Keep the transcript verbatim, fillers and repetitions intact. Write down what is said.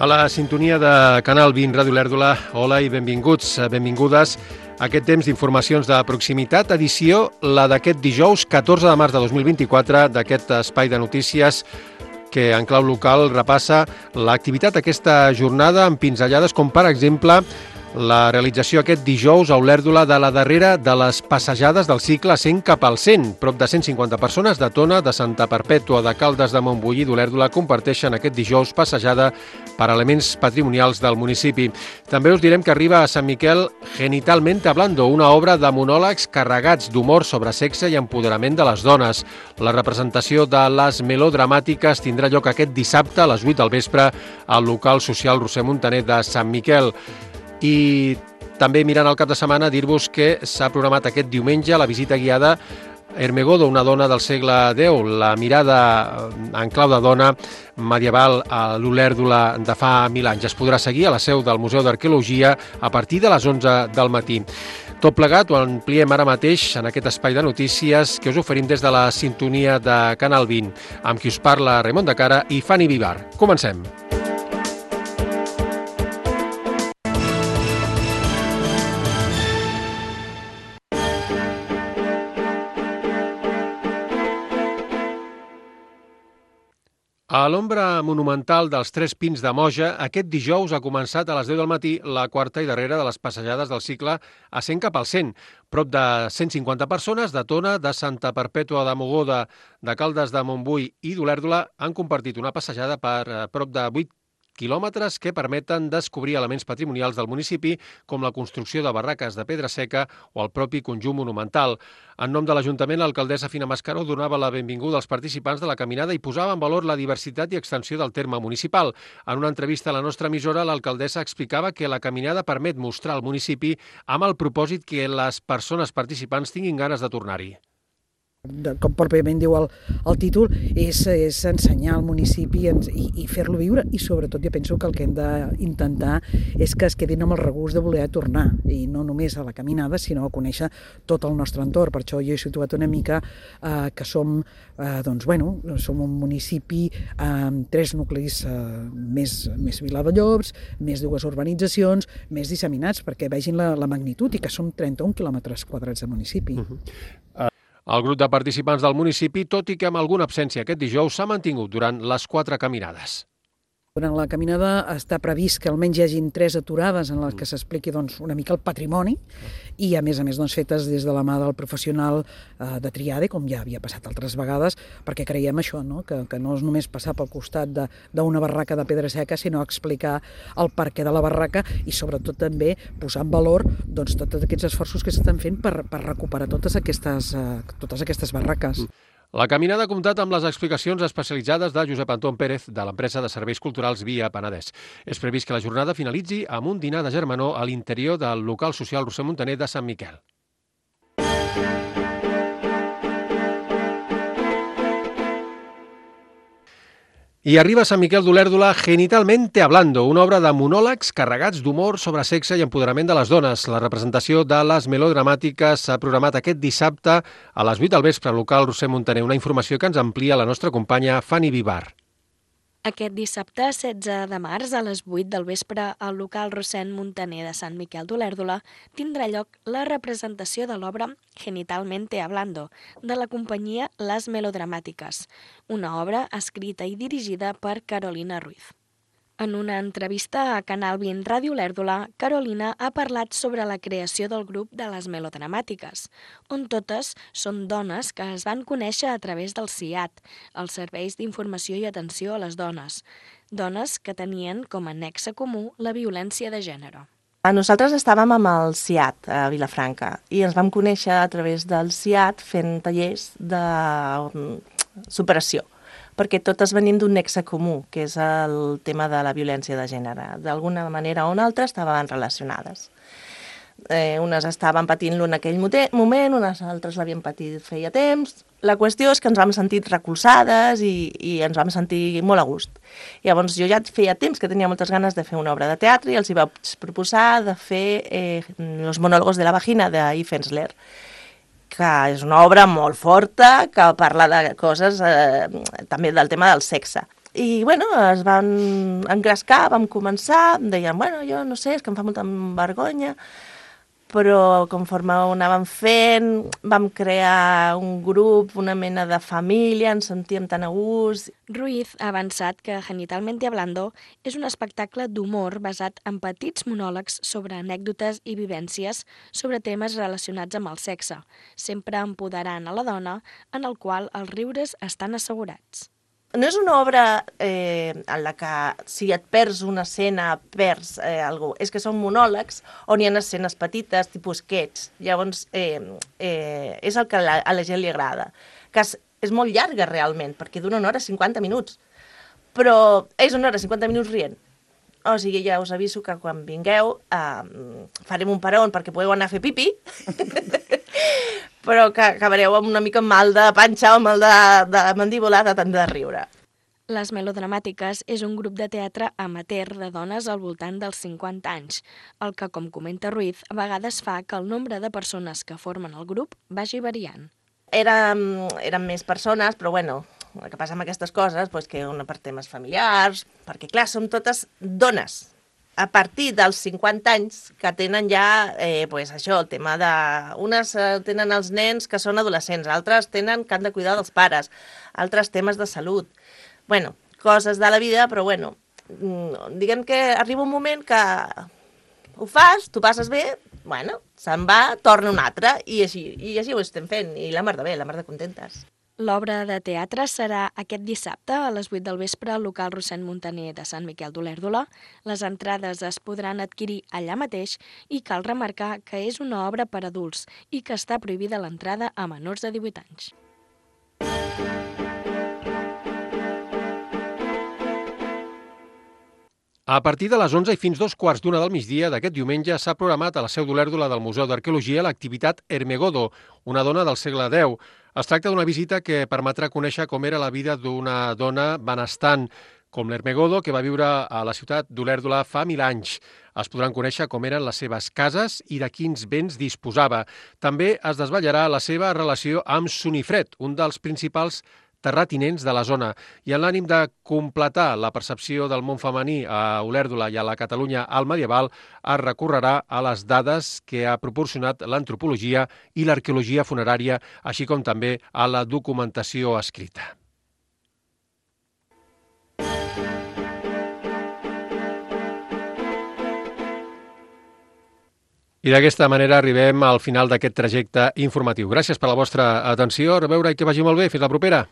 A la sintonia de Canal vint Ràdio Olèrdola, hola i benvinguts, benvingudes a aquest temps d'informacions de proximitat, edició la d'aquest dijous catorze de març de dos mil vint-i-quatre, d'aquest espai de notícies que en clau local repassa l'activitat d'aquesta jornada amb pinzellades com, per exemple, la realització aquest dijous a Olèrdola de la darrera de les passejades del cicle cent cap al cent. Prop de cent cinquanta persones de Tona, de Santa Perpètua, de Caldes de Montbui i d'Olèrdola comparteixen aquest dijous passejada per elements patrimonials del municipi. També us direm que arriba a Sant Miquel Genitalmente Hablando, una obra de monòlegs carregats d'humor sobre sexe i empoderament de les dones. La representació de les melodramàtiques tindrà lloc aquest dissabte a les vuit del vespre al local social Roser Montaner de Sant Miquel. I també mirant el cap de setmana dir-vos que s'ha programat aquest diumenge la visita guiada Hermegodo, una dona del segle deu, la mirada en clau de dona medieval a l'Olèrdola de fa mil anys. Es podrà seguir a la seu del Museu d'Arqueologia a partir de les onze del matí. Tot plegat ho ampliem ara mateix en aquest espai de notícies que us oferim des de la sintonia de Canal vint, amb qui us parla Raimon de Cara i Fanny Vivar. Comencem. A l'ombra monumental dels Tres Pins de Moja, aquest dijous ha començat a les deu del matí la quarta i darrera de les passejades del cicle a cent cap al cent. Prop de cent cinquanta persones de Tona, de Santa Perpètua de Mogoda, de Caldes de Montbui i d'Olèrdola han compartit una passejada per prop de vuit quilòmetres que permeten descobrir elements patrimonials del municipi com la construcció de barraques de pedra seca o el propi conjunt monumental. En nom de l'Ajuntament, l'alcaldessa Fina Mascaró donava la benvinguda als participants de la caminada i posava en valor la diversitat i extensió del terme municipal. En una entrevista a la nostra emissora, l'alcaldessa explicava que la caminada permet mostrar al municipi amb el propòsit que les persones participants tinguin ganes de tornar-hi. Com pròpiament diu el, el títol, és, és ensenyar al municipi i, i fer-lo viure, i sobretot jo penso que el que hem d'intentar és que es quedin amb el regust de voler tornar, i no només a la caminada, sinó a conèixer tot el nostre entorn. Per això jo he situat una mica eh, que som, eh, doncs, bueno, som un municipi amb tres nuclis eh, més, més Viladellops, més dues urbanitzacions, més disseminats, perquè vegin la, la magnitud, i que som trenta-un quilòmetres quadrats de municipi. Uh-huh. uh... El grup de participants del municipi, tot i que amb alguna absència aquest dijous, s'ha mantingut durant les quatre caminades. Durant la caminada està previst que almenys hi hagin tres aturades en les que s'expliqui doncs, una mica el patrimoni, i a més a més doncs, fetes des de la mà del professional eh, de Triade, com ja havia passat altres vegades, perquè creiem això, no? que, que no és només passar pel costat d'una barraca de pedra seca, sinó explicar el perquè de la barraca i sobretot també posar en valor doncs, tots aquests esforços que s'estan fent per, per recuperar totes aquestes, eh, totes aquestes barraques. La caminada ha comptat amb les explicacions especialitzades de Josep Anton Pérez, de l'empresa de serveis culturals Via Penedès. És previst que la jornada finalitzi amb un dinar de germanor a l'interior del local social Roser Montaner de Sant Miquel. I arriba a Sant Miquel d'Olèrdola Genitalmente Hablando, una obra de monòlegs carregats d'humor sobre sexe i empoderament de les dones. La representació de les melodramàtiques s'ha programat aquest dissabte a les vuit del vespre al local Roser Montaner, una informació que ens amplia la nostra companya Fanny Vivar. Aquest dissabte, setze de març, a les vuit del vespre, al local Roser Montaner de Sant Miquel d'Olèrdola tindrà lloc la representació de l'obra Genitalmente Hablando, de la companyia Les Melodramàtiques, una obra escrita i dirigida per Carolina Ruiz. En una entrevista a Canal vint Ràdio Olèrdola, Carolina ha parlat sobre la creació del grup de les Melodramàtiques, on totes són dones que es van conèixer a través del C I A T, els Serveis d'Informació i Atenció a les Dones, dones que tenien com a nexe comú la violència de gènere. Nosaltres estàvem amb el C I A T a Vilafranca i ens vam conèixer a través del C I A T fent tallers de superació, perquè totes venim d'un nexe comú, que és el tema de la violència de gènere. D'alguna manera o una altra estaven relacionades. Eh, unes estaven patint-lo en aquell moment, unes altres l'havien patit feia temps. La qüestió és que ens vam sentir recolzades i, i ens vam sentir molt a gust. Llavors jo ja feia temps que tenia moltes ganes de fer una obra de teatre i els hi vaig proposar de fer eh, Los monòlegos de la vagina d'Yves Ensler, que és una obra molt forta, que parla de coses, eh, també del tema del sexe. I, bueno, es van engrescar, vam començar, em deien, bueno, jo no sé, és que em fa molta vergonya, però conforme ho anàvem fent, vam crear un grup, una mena de família, ens sentíem tan a gust. Ruiz ha avançat que Genitalmente Hablando és un espectacle d'humor basat en petits monòlegs sobre anècdotes i vivències sobre temes relacionats amb el sexe, sempre empoderant a la dona, en el qual els riures estan assegurats. No és una obra eh, en la que si et perds una escena, perds eh, alguna cosa. És que són monòlegs on hi ha escenes petites, tipus sketch. Llavors, eh, eh, és el que a la, a la gent li agrada. Que és, és molt llarga, realment, perquè dura una hora cinquanta minuts. Però és una hora cinquanta minuts rient. O sigui, ja us aviso que quan vingueu eh, farem un peron perquè podeu anar a fer pipi, però que acabareu amb una mica mal de panxa o mal de, de mandíbula de tant de riure. Les Melodramàtiques és un grup de teatre amateur de dones al voltant dels cinquanta anys, el que, com comenta Ruiz, a vegades fa que el nombre de persones que formen el grup vagi variant. Érem, érem més persones, però bueno, el que passa amb aquestes coses, doncs que una per temes familiars, perquè clar, som totes dones. A partir dels cinquanta anys que tenen ja, eh, pues això, el tema de... Unes eh, tenen els nens que són adolescents, altres tenen que han de cuidar dels pares, altres temes de salut. Bueno, coses de la vida, però bueno, diguem que arriba un moment que ho fas, tu passes bé, bueno, se'n va, torna un altre, i així, i així ho estem fent, i la mar de bé, la mar de contentes. L'obra de teatre serà aquest dissabte a les vuit del vespre al local Rossend Muntaner de Sant Miquel d'Olèrdola. Les entrades es podran adquirir allà mateix i cal remarcar que és una obra per adults i que està prohibida l'entrada a menors de divuit anys. A partir de les onze i fins dos quarts d'una del migdia d'aquest diumenge s'ha programat a la seu d'Olèrdola del Museu d'Arqueologia l'activitat Hermegodo, una dona del segle deu. Es tracta d'una visita que permetrà conèixer com era la vida d'una dona benestant, com l'Hermegodo, que va viure a la ciutat d'Olèrdola fa mil anys. Es podran conèixer com eren les seves cases i de quins béns disposava. També es desvetllarà la seva relació amb Sunifred, un dels principals terratinents de la zona, i en l'ànim de completar la percepció del món femení a Olèrdola i a la Catalunya al medieval, es recorrerà a les dades que ha proporcionat l'antropologia i l'arqueologia funerària, així com també a la documentació escrita. I d'aquesta manera arribem al final d'aquest trajecte informatiu. Gràcies per la vostra atenció, a reveure i que vagi molt bé. Fins la propera.